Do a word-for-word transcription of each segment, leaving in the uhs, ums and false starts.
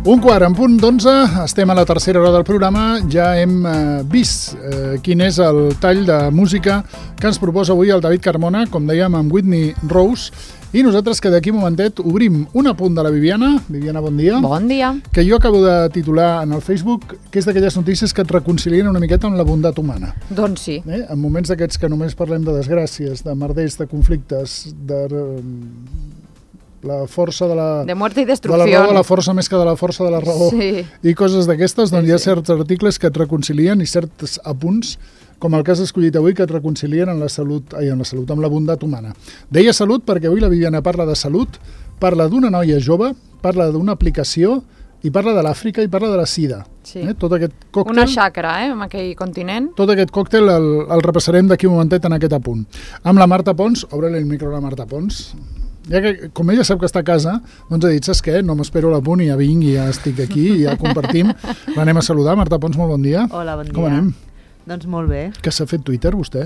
Un quart, en punt d'onze, estem a la tercera hora del programa, ja hem eh, vist eh, quin és el tall de música que ens proposa avui el David Carmona, com dèiem, amb Whitney Rose, i nosaltres que d'aquí un momentet obrim un apunt de la Viviana. Viviana, bon dia. Bon dia. Que jo acabo de titular en el Facebook, que és d'aquelles notícies que et reconcilien una miqueta amb la bondat humana. Doncs sí. Eh? En moments d'aquests que només parlem de desgràcies, de merders, de conflictes, de... la força de la... De muerte i de destrucció. la raó de la força més que de la força de la raó. Sí. I coses d'aquestes, doncs Sí, hi ha sí. certs articles que et reconcilien i certs apunts, com el que has escollit avui, que et reconcilien en la salut, ai, en la salut, amb la bondat humana. Deia salut perquè avui la Viviana parla de salut, parla d'una noia jove, parla d'una aplicació i parla de l'Àfrica i parla de la sida. Sí. Eh? Tot aquest còctel... Una xacra, eh, en aquell continent. Tot aquest còctel el, el repassarem d'aquí un momentet en aquest apunt. Amb la Marta Pons, obre-li el micro a la Marta Pons. Ja que, com ella sap que està a casa, doncs ha dit, saps què? No m'espero a l'apunt i ja vinc i ja estic aquí i ja compartim. L'anem a saludar. Marta Pons, molt bon dia. Hola, bon dia. Com anem? Doncs molt bé. Que s'ha fet Twitter, vostè?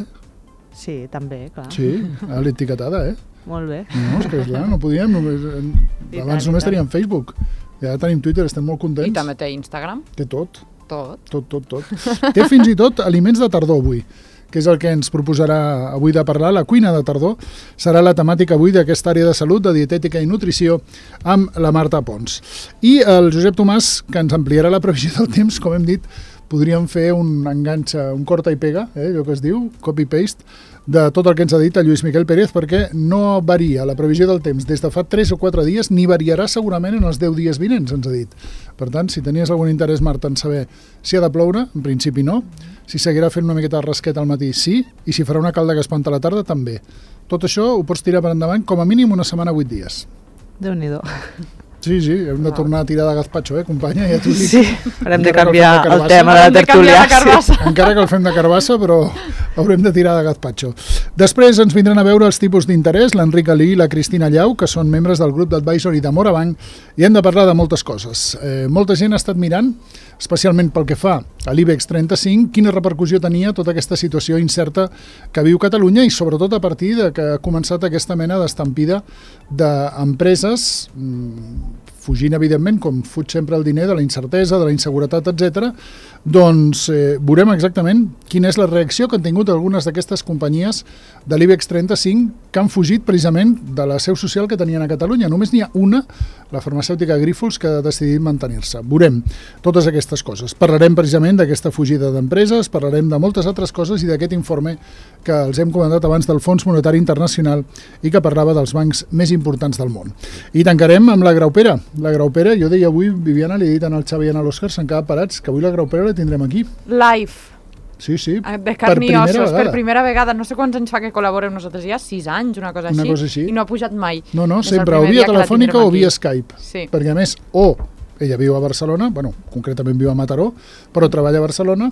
Sí, també, clar. Sí, a l'etiquetada, eh? Molt bé. No, és que clar, no podíem, només, I abans tant, només i tant. teníem Facebook. Ja tenim Twitter, estem molt contents. I també té Instagram. Té tot, Tot. tot, tot, tot. Té fins i tot aliments de tardor avui, que és el que ens proposarà avui de parlar. La cuina de tardor serà la temàtica avui d'aquesta àrea de salut, de dietètica i nutrició, amb la Marta Pons. I el Josep Tomàs, que ens ampliarà la previsió del temps, com hem dit, podríem fer un enganxe, un corta i pega, eh, allò que es diu, copy-paste, de tot el que ens ha dit el Lluís Miquel Pérez, perquè no varia la previsió del temps des de fa tres o quatre dies, ni variarà segurament en els deu dies vinents, ens ha dit. Per tant, si tenies algun interès, Marta, en saber si ha de ploure, en principi no, si seguirà fent una miqueta de rasquet al matí, sí, i si farà una calda que espanta a la tarda, també. Tot això ho pots tirar per endavant com a mínim una setmana, vuit dies. Déu-n'hi-do. Sí, sí, hem de tornar a tirar de gazpacho, eh, companya? Ja t'ho dic. Sí, haurem de Encara que canviar el fem de el carbassa. tema de la Hem de canviar tertúlia. la carbassa. Encara que el fem de carbassa, però haurem de tirar de gazpacho. Després ens vindran a veure els tipus d'interès, l'Enric Alí i la Cristina Llau, que són membres del grup d'advisory de Morabanc, i hem de parlar de moltes coses. Eh, molta gent ha estat mirant, especialment pel que fa a l'IBEX trenta-cinc, quina repercussió tenia tota aquesta situació incerta que viu Catalunya i sobretot a partir de que ha començat aquesta mena d'estampida d'empreses, mmm, fugint, evidentment, com fuig sempre el diner, de la incertesa, de la inseguretat, etcètera, doncs eh, veurem exactament quina és la reacció que han tingut algunes d'aquestes companyies de l'IBEX trenta-cinc que han fugit precisament de la seu social que tenien a Catalunya. Només n'hi ha una, la farmacèutica Grífols, que ha decidit mantenir-se. Veurem totes aquestes coses. Parlarem precisament d'aquesta fugida d'empreses, parlarem de moltes altres coses i d'aquest informe que els hem comentat abans del Fons Monetari Internacional i que parlava dels bancs més importants del món. I tancarem amb la Graupera. La Graupera, jo deia avui, Viviana, li he dit al Xavi i a l'Òscar, s'han quedat parats, que avui la Graupera la tindrem aquí. Live. Sí, sí, De carn i ossos, per primera vegada. No sé quants anys fa que col·laborem nosaltres ja, sis anys, una cosa, Una així, cosa així. i no ha pujat mai. No, no, Des del sempre o primer via dia que la telefònica tindrem o via aquí. Skype. Sí. Perquè a més, o ella viu a Barcelona, bueno, concretament viu a Mataró, però treballa a Barcelona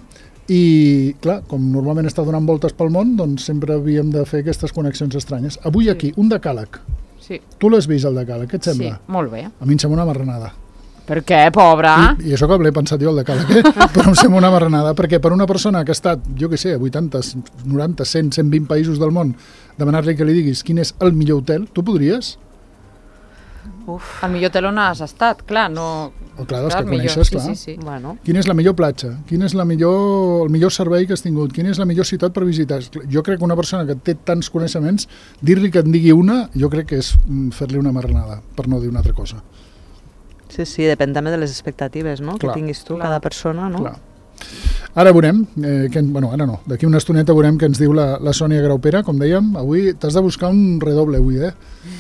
i, clar, com normalment està donant voltes pel món, doncs sempre havíem de fer aquestes connexions estranyes. Avui Sí. aquí, un decàleg. Sí, Tu l'has vist, el decàleg, què et sí, sembla? molt bé. A mi em sembla una marranada. Per què, pobra? I, I això que l'he pensat jo, el decàleg, eh? Però em sembla una marranada, perquè per una persona que ha estat, jo què sé, a vuitanta, noranta, cent, cent vint països del món, demanar-li que li diguis quin és el millor hotel, tu podries? Uf. El millor hotel on has estat, clar, no... O clar, dels Clar, que millor, coneixes, sí, clar. sí, sí. Bueno, Quina és la millor platja? Quin és la millor, el millor servei que has tingut? Quina és la millor ciutat per visitar? Jo crec que una persona que té tants coneixements, dir-li que en digui una, jo crec que és mm, fer-li una marranada, per no dir una altra cosa. sí, sí, depèn també de les expectatives, no?, Clar. que tinguis tu, Clar. cada persona, no? Clar. Ara veurem, eh, que, bueno, ara no, d'aquí una estoneta veurem què ens diu la, la Sònia Graupera, com dèiem, avui t'has de buscar un redoble avui, eh?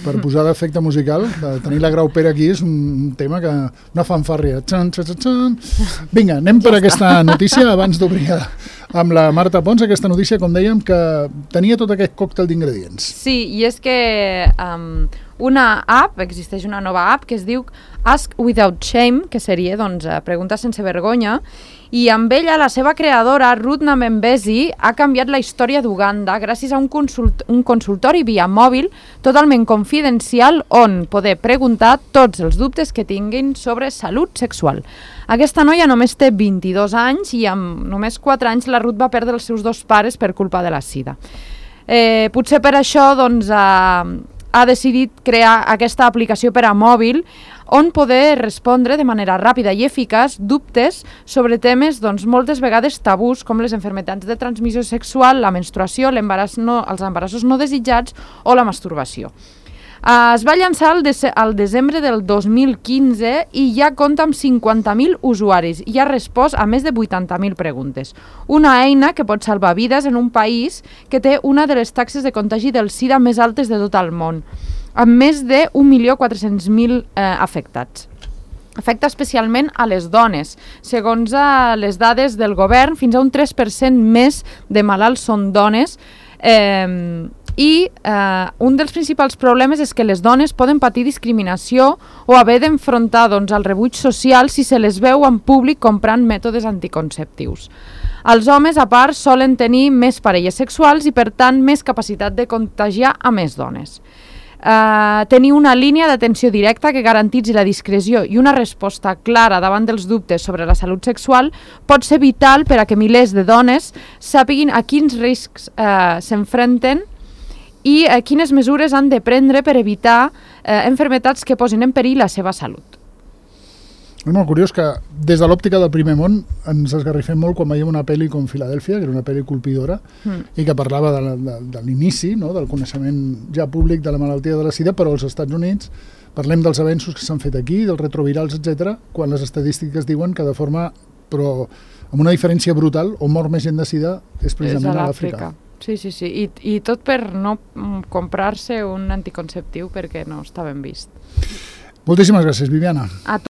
Per posar d'efecte musical, de tenir la Graupera aquí és un tema que... una fanfàrria. Txan, txan, txan. Vinga, anem per aquesta notícia abans d'obrir amb la Marta Pons, aquesta notícia, com dèiem, que tenia tot aquest còctel d'ingredients. Sí, i és que um, una app, existeix una nova app que es diu Ask Without Shame, que seria, doncs, pregunta sense vergonya, i amb ella la seva creadora, Ruth Namembezi, ha canviat la història d'Uganda gràcies a un, consult un consultori via mòbil totalment confidencial on poder preguntar tots els dubtes que tinguin sobre salut sexual. Aquesta noia només té vint-i-dos anys i amb només quatre anys la Ruth va perdre els seus dos pares per culpa de la sida. Eh, potser per això doncs, eh, ha decidit crear aquesta aplicació per a mòbil on poder respondre de manera ràpida i eficaç dubtes sobre temes doncs, moltes vegades tabús, com les malalties de transmissió sexual, la menstruació, l'embaràs no, els embarassos no desitjats o la masturbació. Uh, es va llançar al, de al desembre del dos mil quinze i ja compta amb cinquanta mil usuaris i ha respost a més de vuitanta mil preguntes. Una eina que pot salvar vides en un país que té una de les taxes de contagi del SIDA més altes de tot el món, amb més de un milió quatre-cents mil eh, afectats. Afecta especialment a les dones. Segons uh, les dades del govern, fins a un tres per cent més de malalts són dones, eh, i eh, un dels principals problemes és que les dones poden patir discriminació o haver d'enfrontar doncs, el rebuig social si se les veu en públic comprant mètodes anticonceptius. Els homes, a part, solen tenir més parelles sexuals i, per tant, més capacitat de contagiar a més dones. Uh, tenir una línia d'atenció directa que garantitzi la discreció i una resposta clara davant dels dubtes sobre la salut sexual pot ser vital per a que milers de dones sàpiguin a quins riscs uh, s'enfrenten i eh, quines mesures han de prendre per evitar eh, enfermetats que posin en perill la seva salut. És molt curiós que des de l'òptica del primer món ens esgarrifem molt quan veiem una pel·li com Filadèlfia, que era una pel·li colpidora, mm. i que parlava de, la, de, de l'inici, no?, del coneixement ja públic de la malaltia de la sida, però als Estats Units parlem dels avenços que s'han fet aquí, dels retrovirals, etcètera, quan les estadístiques diuen que de forma, però amb una diferència brutal, on mor més gent de sida és precisament a l'Àfrica. Sí, sí, sí. I, i tot per no comprar-se un anticonceptiu perquè no està ben vist. Moltíssimes gràcies, Viviana. A